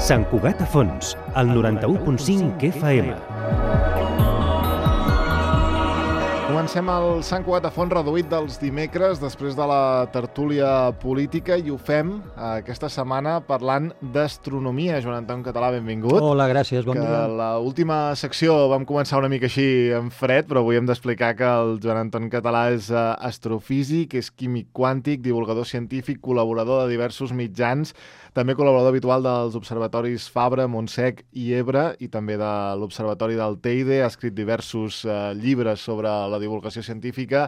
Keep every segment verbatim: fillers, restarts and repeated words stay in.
Sant Cugat a Fons, al noranta-u punt cinc F M. Comencem el Sant Cugat a Fons reduït dels dimecres després de la tertúlia política i ho fem aquesta setmana parlant d'astronomia. Joan Anton Català, benvingut. Hola, gràcies, bon que dia. L'última secció vam començar una mica així en fred, però avui hem d'explicar que el Joan Anton Català és astrofísic, és químic quàntic, divulgador científic, col·laborador de diversos mitjans, també col·laborador habitual dels observatoris Fabra, Montsec i Ebre i també de l'Observatori del Teide. Ha escrit diversos eh, llibres sobre la divulgació científica,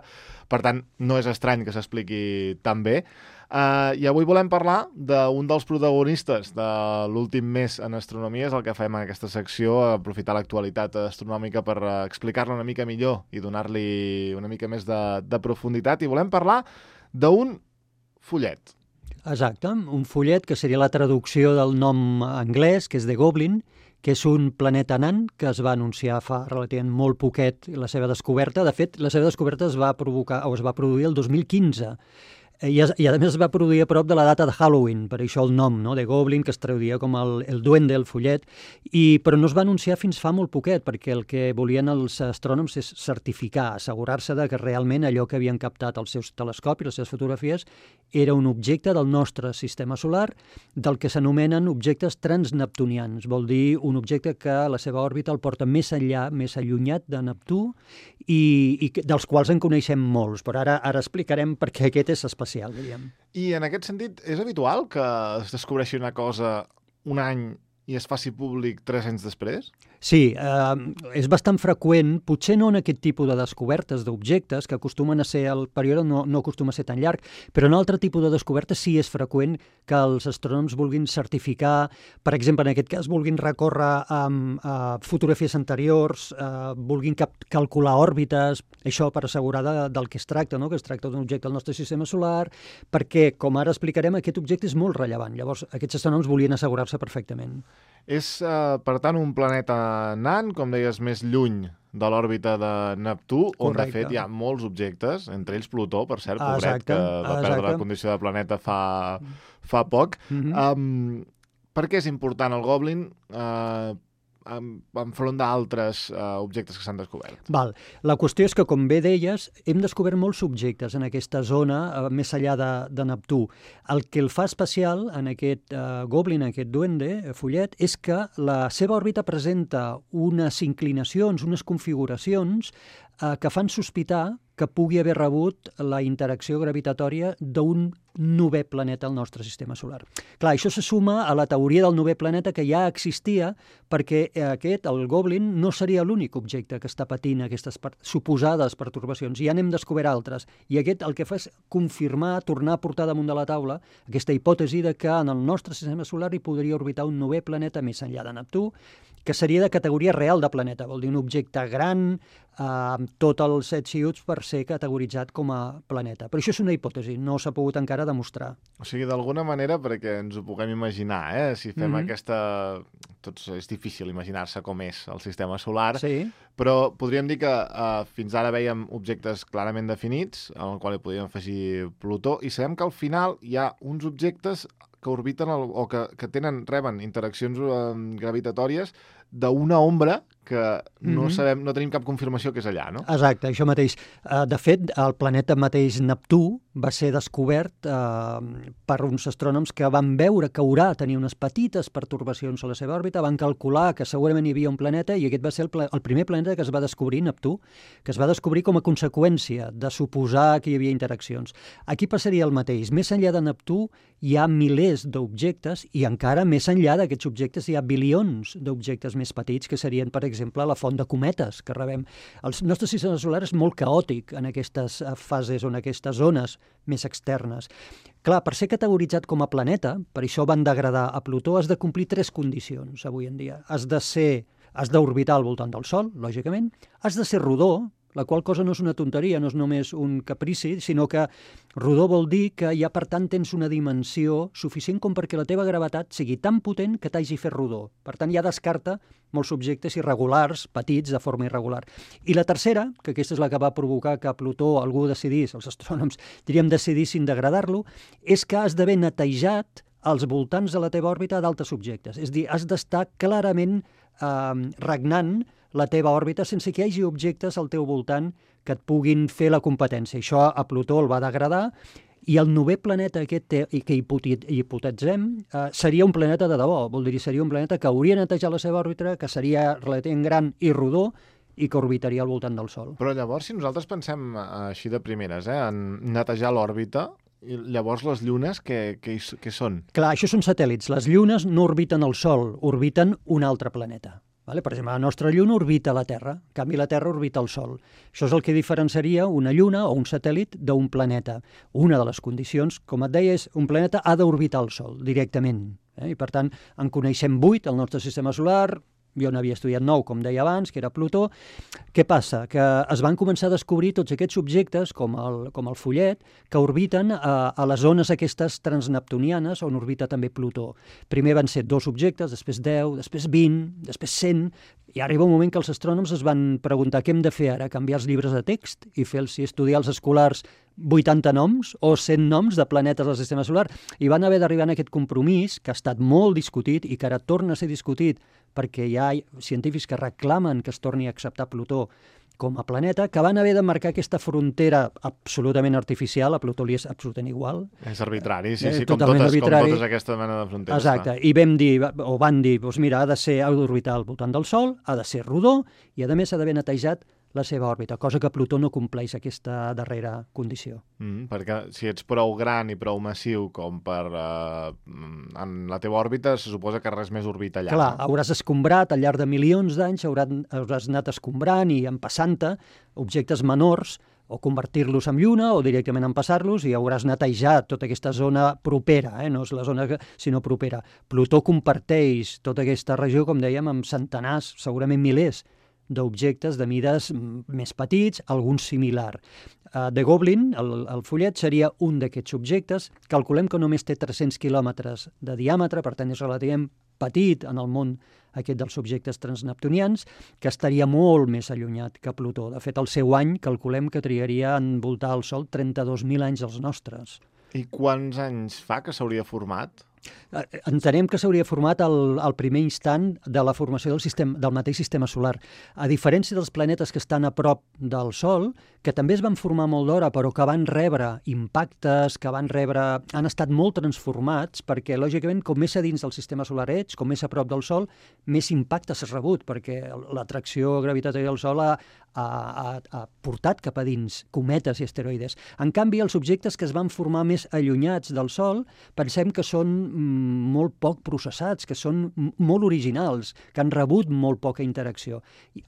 per tant, no és estrany que s'expliqui tan bé. Uh, I avui volem parlar d'un dels protagonistes de l'últim mes en astronomia, és el que fem en aquesta secció, aprofitar l'actualitat astronòmica per uh, explicar-la una mica millor i donar-li una mica més de, de profunditat. I volem parlar d'un follet. Exacte, un follet que seria la traducció del nom anglès, que és The Goblin, que és un planeta nan que es va anunciar fa relativament molt poquet la seva descoberta. De fet, la seva descoberta es va provocar o es va produir el dos mil quinze. I, I a més es va produir a prop de la data de Halloween, per això el nom, no? The Goblin, que es traduïa com el, el duende, el follet, i, però no es va anunciar fins fa molt poquet, perquè el que volien els astrònoms és certificar, assegurar-se de que realment allò que havien captat els seus telescopis, les seves fotografies, era un objecte del nostre sistema solar, del que s'anomenen objectes transneptunians. Vol dir un objecte que la seva òrbita el porta més enllà, més allunyat de Neptú, i, i dels quals en coneixem molts, però ara, ara explicarem per què aquest és especial. I en aquest sentit, és habitual que es descobreixi una cosa un any i es faci públic tres anys després? Sí, eh, és bastant freqüent, potser no en aquest tipus de descobertes d'objectes, que acostumen a ser, el període no, no acostuma a ser tan llarg, però en altre tipus de descobertes sí és freqüent que els astrònoms vulguin certificar, per exemple, en aquest cas, vulguin recórrer amb eh, fotografies anteriors, eh, vulguin cap calcular òrbites, això per assegurar de, del que es tracta, no? Que es tracta d'un objecte del nostre sistema solar, perquè, com ara explicarem, aquest objecte és molt rellevant. Llavors, aquests astrònoms volien assegurar-se perfectament. És, eh, per tant, un planeta nan, com deies, més lluny de l'òrbita de Neptú, on Correcte. de fet hi ha molts objectes, entre ells Plutó, per cert, pobret, Exacte, que va exacte. perdre la condició de planeta fa, fa poc. Mm-hmm. Um, per què és important el Goblin eh, enfront d'altres eh, objectes que s'han descobert? Val. La qüestió és que, com bé deies, hem descobert molts objectes en aquesta zona, eh, més enllà de, de Neptú. El que el fa especial en aquest eh, Goblin, en aquest duende, eh, follet, és que la seva òrbita presenta unes inclinacions, unes configuracions eh, que fan sospitar que pugui haver rebut la interacció gravitatòria d'un novè planeta al nostre sistema solar. Clar, això se suma a la teoria del novè planeta que ja existia, perquè aquest, el Goblin, no seria l'únic objecte que està patint aquestes per suposades pertorbacions. Ja n'hem descobert altres. I aquest el que fa és confirmar, tornar a portar damunt de la taula aquesta hipòtesi de que en el nostre sistema solar hi podria orbitar un novè planeta més enllà de Neptú, que seria de categoria real de planeta, vol dir un objecte gran, eh, amb tots els attributs per ser categoritzat com a planeta. Però això és una hipòtesi, no s'ha pogut encara demostrar. O sigui, d'alguna manera, perquè ens ho puguem imaginar, eh? Si fem mm-hmm. aquesta... Tots, és difícil imaginar-se com és el sistema solar, sí. Però podríem dir que eh, fins ara vèiem objectes clarament definits, en el qual hi podríem afegir Plutó, i sabem que al final hi ha uns objectes que orbiten el, o que, que tenen, reben interaccions eh, gravitatòries d'una ombra que no Mm-hmm. sabem, no tenim cap confirmació que és allà, no? Exacte, això mateix. Uh, de fet, el planeta mateix Neptú va ser descobert uh, per uns astrònoms que van veure que Urà tenia unes petites pertorbacions a la seva òrbita, van calcular que segurament hi havia un planeta i aquest va ser el, pla el primer planeta que es va descobrir, Neptú, que es va descobrir com a conseqüència de suposar que hi havia interaccions. Aquí passaria el mateix. Més enllà de Neptú hi ha milers d'objectes i encara més enllà d'aquests objectes hi ha bilions d'objectes més petits que serien, per exemple, la font de cometes que rebem. El nostre sistema solar és molt caòtic en aquestes fases o en aquestes zones més externes. Clar, per ser categoritzat com a planeta, per això van degradar a Plutó, has de complir tres condicions avui en dia. Has de ser, has d'orbitar al voltant del Sol, lògicament, has de ser rodó, la qual cosa no és una tonteria, no és només un caprici, sinó que rodó vol dir que ja per tant tens una dimensió suficient com perquè la teva gravetat sigui tan potent que t'hagi fet rodó. Per tant, ja descarta molts objectes irregulars, petits, de forma irregular. I la tercera, que aquesta és la que va provocar que Plutó algú decidís, els astrònoms diríem decidissin degradar-lo, és que has d'haver netejat als voltants de la teva òrbita d'altres objectes. És a dir, has d'estar clarament eh, regnant la teva òrbita sense que hi hagi objectes al teu voltant que et puguin fer la competència. Això a Plutó el va degradar, i el novè planeta aquest que hipotetitzem eh, seria un planeta de debò, vol dir, seria un planeta que hauria netejat la seva òrbita, que seria relativament gran i rodó, i que orbitaria al voltant del Sol. Però llavors, si nosaltres pensem així de primeres, eh, en netejar l'òrbita, i llavors les llunes què, què, què són? Clar, això són satèl·lits. Les llunes no orbiten el Sol, orbiten un altre planeta. Vale? Per exemple, la nostra lluna orbita la Terra, en canvi la Terra orbita el Sol. Això és el que diferenciaria una lluna o un satèl·lit d'un planeta. Una de les condicions, com et deia, és un planeta ha d'orbitar el Sol directament. Eh? I per tant, en coneixem vuit al nostre sistema solar. Jo n'havia estudiat nou, com deia abans, que era Plutó. Què passa? Que es van començar a descobrir tots aquests objectes, com el, com el Follet, que orbiten a, a les zones aquestes transneptunianes, on orbita també Plutó. Primer van ser dos objectes, després deu, després vint, després cent, i arriba un moment que els astrònoms es van preguntar què hem de fer ara, canviar els llibres de text i fer-los estudiar els escolars vuitanta noms o cent noms de planetes del sistema solar, i van haver d'arribar a aquest compromís que ha estat molt discutit i que ara torna a ser discutit perquè hi ha científics que reclamen que es torni a acceptar Plutó com a planeta, que van haver de marcar aquesta frontera absolutament artificial, a Plutó li és absolutament igual. És arbitrari, sí, eh, sí, com totes, arbitrari. com totes aquesta mena de fronteres. Exacte, i vam dir, o van dir, doncs mira, ha de ser, ha d'orbitar al voltant del Sol, ha de ser rodó, i a més ha d'haver netejat la seva òrbita, cosa que Plutó no compleix aquesta darrera condició. Mm, perquè si ets prou gran i prou massiu com per... Eh, en la teva òrbita, se suposa que res més orbita allà. Clar, no? hauràs escombrat al llarg de milions d'anys, hauràs, hauràs anat escombrant i empassant-te objectes menors, o convertir-los en lluna, o directament empassar-los, i hauràs netejat tota aquesta zona propera, eh? No és la zona que, sinó propera. Plutó comparteix tota aquesta regió, com dèiem, amb centenars, segurament milers, d'objectes de mides més petits, alguns similar. Uh, de Goblin, el, el Follet, seria un d'aquests objectes. Calculem que només té tres-cents quilòmetres de diàmetre, per tant és relativament petit en el món aquest dels objectes transneptunians, que estaria molt més allunyat que Plutó. De fet, el seu any calculem que trigaria a envoltar el Sol trenta-dos mil anys els nostres. I quants anys fa que s'hauria format? Entenem que s'hauria format al, al primer instant de la formació del, sistema, del mateix sistema solar. A diferència dels planetes que estan a prop del Sol, que també es van formar molt d'hora, però que van rebre impactes, que van rebre... han estat molt transformats, perquè, lògicament, com més a dins del sistema solar ets, com més a prop del Sol, més impactes has rebut, perquè l'atracció gravitatorial del Sol ha, ha, ha, ha portat cap a dins cometes i asteroides. En canvi, els objectes que es van formar més allunyats del Sol, pensem que són molt poc processats, que són molt originals, que han rebut molt poca interacció,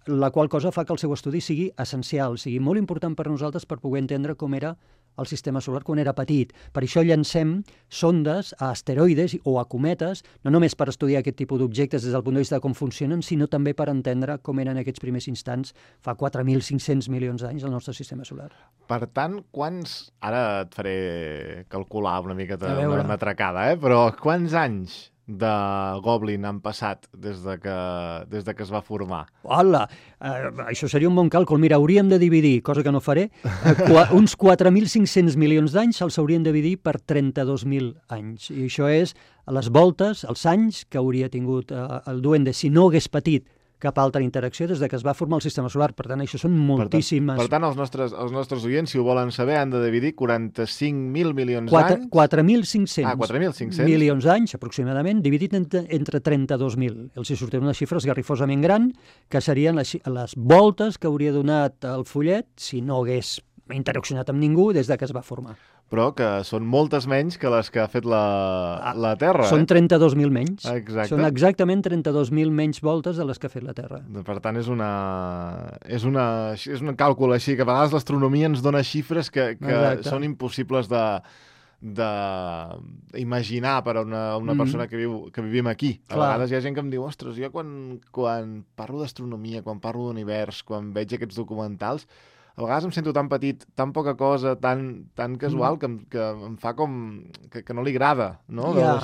la qual cosa fa que el seu estudi sigui essencial, sigui molt important per nosaltres per poder entendre com era el sistema solar quan era petit. Per això llancem sondes a asteroides o a cometes, no només per estudiar aquest tipus d'objectes des del punt de vista de com funcionen, sinó també per entendre com eren aquests primers instants fa quatre mil cinc-cents milions d'anys al nostre sistema solar. Per tant, quants... Ara et faré calcular una miqueta una matracada, eh? Però quants anys de Goblin han passat des de que, des de que es va formar? Hola! Eh, això seria un bon càlcul. Mira, hauríem de dividir, cosa que no faré, eh, qua, uns quatre mil cinc-cents milions d'anys se'ls haurien de dividir per trenta-dos mil anys. I això és les voltes, els anys que hauria tingut eh, el duende si no hagués patit cap altra interacció des de que es va formar el sistema solar. Per tant, això són moltíssimes... Per tant, per tant els, nostres, els nostres oients, si ho volen saber, han de dividir quaranta-cinc mil milions d'anys... quatre mil cinc-cents ah, quatre mil cinc-cents milions d'anys, aproximadament, dividit entre, entre trenta-dos mil. Els hi sortirà una xifra esgarrifosament gran, que serien les, les voltes que hauria donat el Follet si no hagués interaccionat amb ningú des de que es va formar. Però que són moltes menys que les que ha fet la, la Terra. Són trenta-dos mil menys. Exacte. Són exactament trenta-dos mil menys voltes de les que ha fet la Terra. Per tant, és una, és una, és un càlcul així, que a vegades l'astronomia ens dona xifres que, que són impossibles de d'imaginar per a una, una mm. persona que, viu, que vivim aquí. A Clar. vegades hi ha gent que em diu, ostres, jo quan, quan parlo d'astronomia, quan parlo d'univers, quan veig aquests documentals, a vegades em sento tan petit, tan poca cosa, tan, tan casual, que em, que em fa com... que, que no li agrada, no? Ja.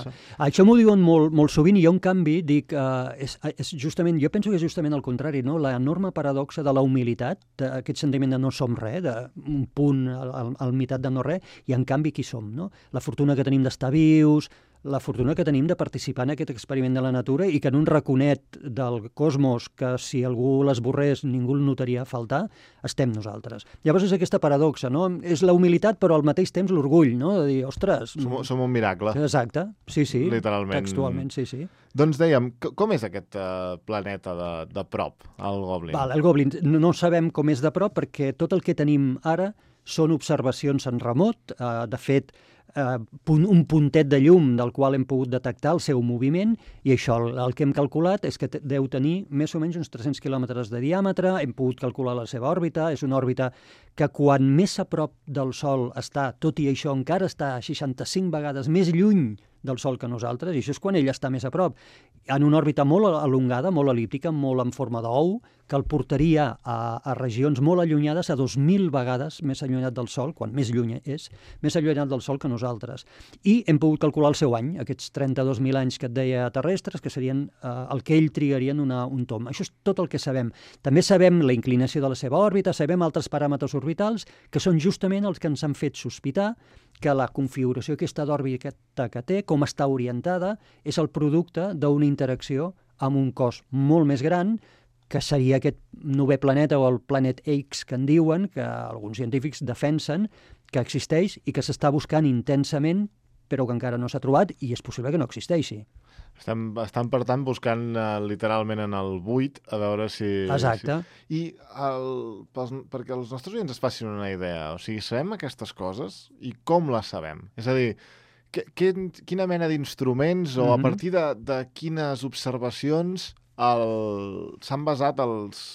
Això m'ho diuen molt, molt sovint, i jo, en canvi, dic... Uh, és, és justament, jo penso que és justament el contrari, no? La enorme paradoxa de la humilitat, d'aquest sentiment de no som res, d'un punt al, al, al meitat de no res, i en canvi qui som, no? La fortuna que tenim d'estar vius, la fortuna que tenim de participar en aquest experiment de la natura i que en un raconet del cosmos que si algú l'esborrés ningú el notaria faltar, estem nosaltres. Llavors és aquesta paradoxa, no? És la humilitat però al mateix temps l'orgull, no? De dir, ostres... Som, som un miracle. Exacte, sí, sí. Literalment. Textualment, sí, sí. Doncs dèiem, com és aquest uh, planeta de, de prop, el Goblin? Val, el Goblin, no, no sabem com és de prop perquè tot el que tenim ara són observacions en remot. Uh, de fet, Uh, un puntet de llum del qual hem pogut detectar el seu moviment i això, el, el que hem calculat és que deu tenir més o menys uns tres-cents quilòmetres de diàmetre, hem pogut calcular la seva òrbita, és una òrbita que quan més a prop del Sol està, tot i això encara està seixanta-cinc vegades més lluny del Sol que nosaltres, i això és quan ell està més a prop, en una òrbita molt alongada, molt elíptica, molt en forma d'ou, que el portaria a, a regions molt allunyades, a dos mil vegades més allunyat del Sol, quan més lluny és, més allunyat del Sol que nosaltres. I hem pogut calcular el seu any, aquests trenta-dos mil anys que et deia terrestres, que serien eh, el que ell trigaria en una, un tom. Això és tot el que sabem. També sabem la inclinació de la seva òrbita, sabem altres paràmetres orbitals, que són justament els que ens han fet sospitar que la configuració aquesta d'òrbita que té, com està orientada, és el producte d'una interacció amb un cos molt més gran, que seria aquest novè planeta o el Planet X que en diuen, que alguns científics defensen que existeix i que s'està buscant intensament, però que encara no s'ha trobat i és possible que no existeixi. Estan, estan per tant, buscant uh, literalment en el buit a veure si... Exacte. Si... I el, pels, perquè els nostres oients es facin una idea, o sigui, sabem aquestes coses i com les sabem? És a dir, que, que, quina mena d'instruments o mm-hmm. a partir de, de quines observacions el... s'han basat els...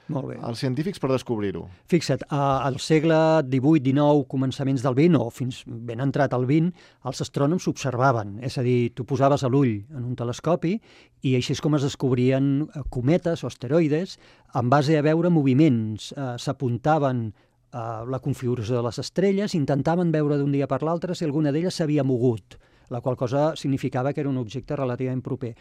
Molt bé. Els científics per descobrir-ho. Fixa't, al segle divuit dinou, començaments del vint, o fins ben entrat al vint, els astrònoms observaven, és a dir, tu posaves l'ull en un telescopi i així és com es descobrien cometes o asteroides en base a veure moviments. Eh, s'apuntaven a la configuració de les estrelles, intentaven veure d'un dia per l'altre si alguna d'elles s'havia mogut, la qual cosa significava que era un objecte relativament proper.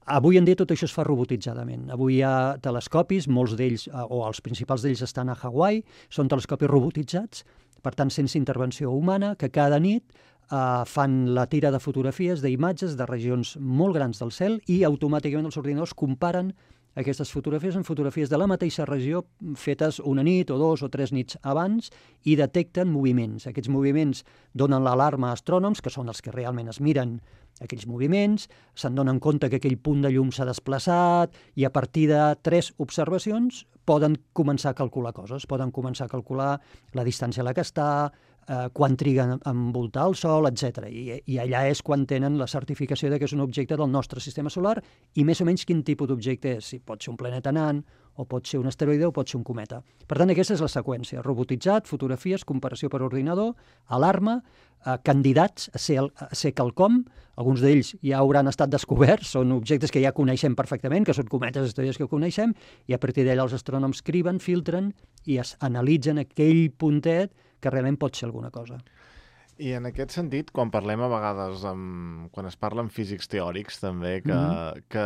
Avui en dia tot això es fa robotitzadament. Avui hi ha telescopis, molts d'ells, o els principals d'ells estan a Hawaii, són telescopis robotitzats, per tant sense intervenció humana, que cada nit eh, fan la tira de fotografies, d'imatges de regions molt grans del cel i automàticament els ordinadors comparen aquestes fotografies en fotografies de la mateixa regió fetes una nit o dos o tres nits abans i detecten moviments. Aquests moviments donen l'alarma a astrònoms, que són els que realment es miren aquells moviments, se'n donen compte que aquell punt de llum s'ha desplaçat i a partir de tres observacions poden començar a calcular coses, poden començar a calcular la distància a la que està, eh, quan triguen a envoltar el Sol, etcètera. I, I allà és quan tenen la certificació de que és un objecte del nostre sistema solar i més o menys quin tipus d'objecte és, si pot ser un planeta nan, o pot ser un asteroide o pot ser un cometa. Per tant, aquesta és la seqüència. Robotitzat, fotografies, comparació per ordinador, alarma, eh, candidats a ser, a ser quelcom, alguns d'ells ja hauran estat descoberts, són objectes que ja coneixem perfectament, que són cometes, estrelles que coneixem, i a partir d'allà els astrònoms criben, filtren i es analitzen aquell puntet que realment pot ser alguna cosa. I en aquest sentit, quan parlem a vegades, amb, quan es parla amb físics teòrics també, que, mm-hmm. que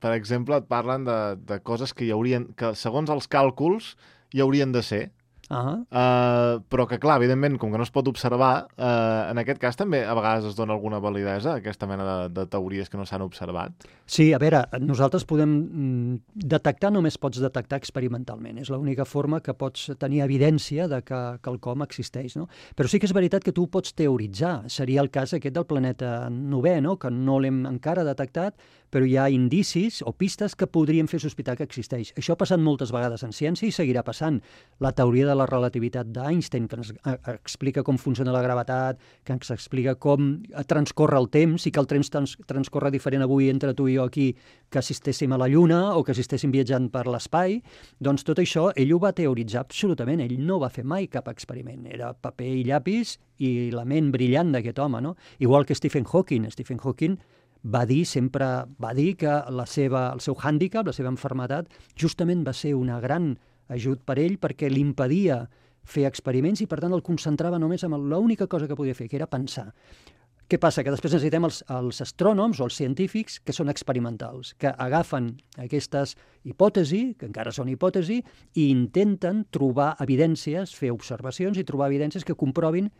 per exemple, et parlen de, de coses que hi haurien, que segons els càlculs hi haurien de ser, Uh-huh. uh, però que, clar, evidentment, com que no es pot observar, uh, en aquest cas també a vegades es dona alguna validesa a aquesta mena de, de teories que no s'han observat. Sí, a veure, nosaltres podem mm, detectar, només pots detectar experimentalment. És l'única forma que pots tenir evidència de que quelcom existeix, no? Però sí que és veritat que tu ho pots teoritzar. Seria el cas aquest del planeta novè, no? Que no l'hem encara detectat, però hi ha indicis o pistes que podrien fer sospitar que existeix. Això ha passat moltes vegades en ciència i seguirà passant. La teoria de la relativitat d'Einstein, que ens explica com funciona la gravetat, que ens explica com transcorre el temps i que el temps trans transcorre diferent avui entre tu i jo aquí que si estéssim a la Lluna o que si estéssim viatjant per l'espai, doncs tot això ell ho va teoritzar absolutament. Ell no va fer mai cap experiment. Era paper i llapis i la ment brillant d'aquest home, no? Igual que Stephen Hawking. Stephen Hawking va dir sempre, va dir que la seva, el seu hàndicap, la seva malaltia, justament va ser una gran ajut per ell perquè li impedia fer experiments i per tant el concentrava només en l'única cosa que podia fer, que era pensar. Què passa? Que després necessitem els, els astrònoms o els científics que són experimentals, que agafen aquestes hipòtesis, que encara són hipòtesis, i intenten trobar evidències, fer observacions i trobar evidències que comprovin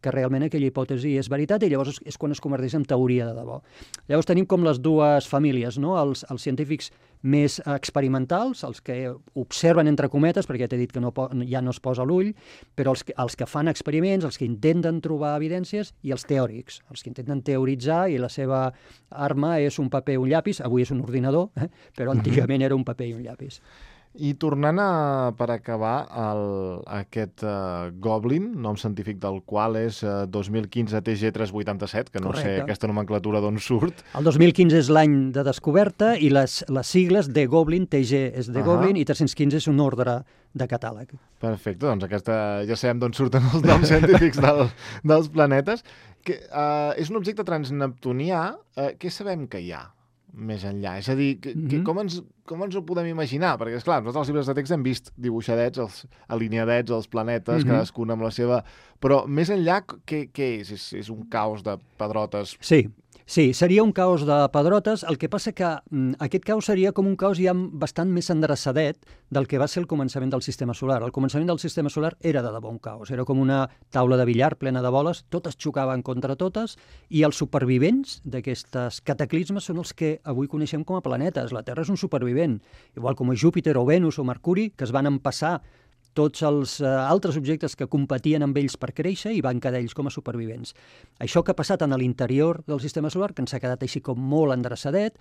que realment aquella hipòtesi és veritat i llavors és quan es converteix en teoria de debò. Llavors tenim com les dues famílies, no? Els, els científics més experimentals, els que observen entre cometes, perquè ja t'he dit que no, ja no es posa l'ull, però els que, els que fan experiments, els que intenten trobar evidències, i els teòrics, els que intenten teoritzar i la seva arma és un paper i un llapis, avui és un ordinador, eh? Però antigament era un paper i un llapis. I tornant a, per acabar, el, aquest uh, Goblin, nom científic del qual és uh, dos mil quinze T G tres vuitanta-set, que no Correcte. sé aquesta nomenclatura d'on surt. El dos mil quinze és l'any de descoberta i les, les sigles de Goblin, T G és de uh -huh. Goblin i tres-cents quinze és un ordre de catàleg. Perfecte, doncs aquesta, ja sabem d'on surten els noms científics del, dels planetes. Que, uh, és un objecte transneptunià. Uh, què sabem que hi ha més enllà? És a dir, que, que, com, ens, com ens ho podem imaginar? Perquè, esclar, nosaltres als llibres de text hem vist dibuixadets, els, alineadets, els planetes, mm-hmm. cadascun amb la seva... Però més enllà, què, què és? és? És un caos de pedrotes? Sí, sí, seria un caos de pedrotes. El que passa que mm, aquest caos seria com un caos ja bastant més endreçadet del que va ser el començament del sistema solar. El començament del sistema solar era de debò un caos. Era com una taula de billar plena de boles, totes xocaven contra totes, i els supervivents d'aquestes cataclismes són els que avui coneixem com a planetes. La Terra és un supervivent, igual com Júpiter o Venus o Mercuri, que es van empassar tots els uh, altres objectes que competien amb ells per créixer i van quedar ells com a supervivents. Això que ha passat en l'interior del sistema solar, que ens ha quedat així com molt endreçadet,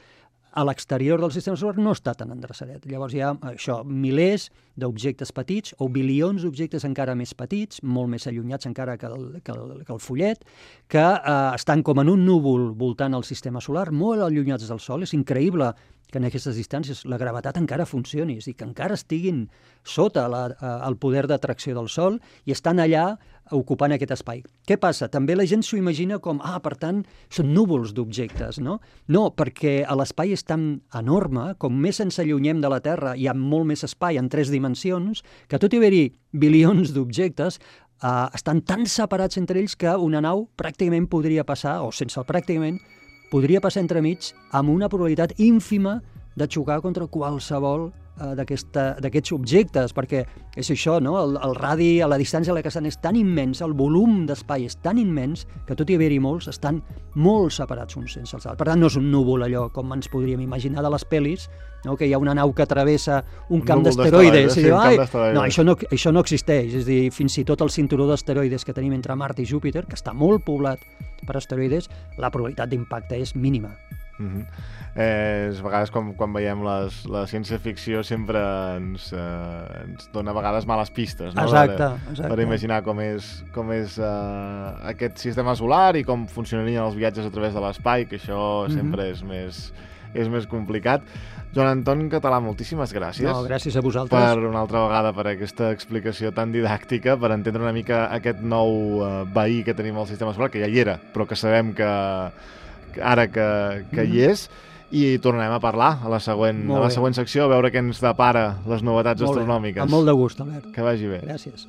a l'exterior del sistema solar no està tan endreçadet. Llavors hi ha això, milers d'objectes petits o bilions d'objectes encara més petits, molt més allunyats encara que el, que el, que el fullet, que eh, estan com en un núvol voltant el sistema solar, molt allunyats del Sol. És increïble que en aquestes distàncies la gravetat encara funcioni, és a dir, que encara estiguin sota la, eh, el poder d'atracció del Sol i estan allà ocupant aquest espai. Què passa? També la gent s'ho imagina com, ah, per tant, són núvols d'objectes, no? No, perquè l'espai és tan enorme, com més ens allunyem de la Terra, hi ha molt més espai en tres dimensions, que tot i haver-hi bilions d'objectes, eh, estan tan separats entre ells que una nau pràcticament podria passar, o sense el pràcticament, podria passar entremig amb una probabilitat ínfima de xocar contra qualsevol eh, d'aquests objectes, perquè és això, no? El, el radi a la distància a la que estan és tan immens, el volum d'espai és tan immens, que tot i haver-hi molts, estan molt separats uns sense els altres. Per tant, no és un núvol allò com ens podríem imaginar de les pel·lis, no? Que hi ha una nau que travessa un, un camp d'asteroides. Sí, no, això no, això no existeix. És a dir, fins i tot el cinturó d'asteroides que tenim entre Mart i Júpiter, que està molt poblat per asteroides, la probabilitat d'impacte és mínima. Uh-huh. eh, a vegades quan, quan veiem les, la ciència-ficció sempre ens, eh, ens dona a vegades males pistes, no? Exacte, per, exacte. Per imaginar com és, com és eh, aquest sistema solar i com funcionarien els viatges a través de l'espai, que això uh-huh. sempre és més, és més complicat. Joan Anton Català, moltíssimes gràcies. No, gràcies a vosaltres. Per una altra vegada, per aquesta explicació tan didàctica, per entendre una mica aquest nou eh, veí que tenim al sistema solar, que ja hi era, però que sabem que ara que, que hi és, i tornarem a parlar a la següent, a la següent secció, a veure què ens depara les novetats molt astronòmiques. Bé. Amb molt de gust, Albert. Que vagi bé. Gràcies.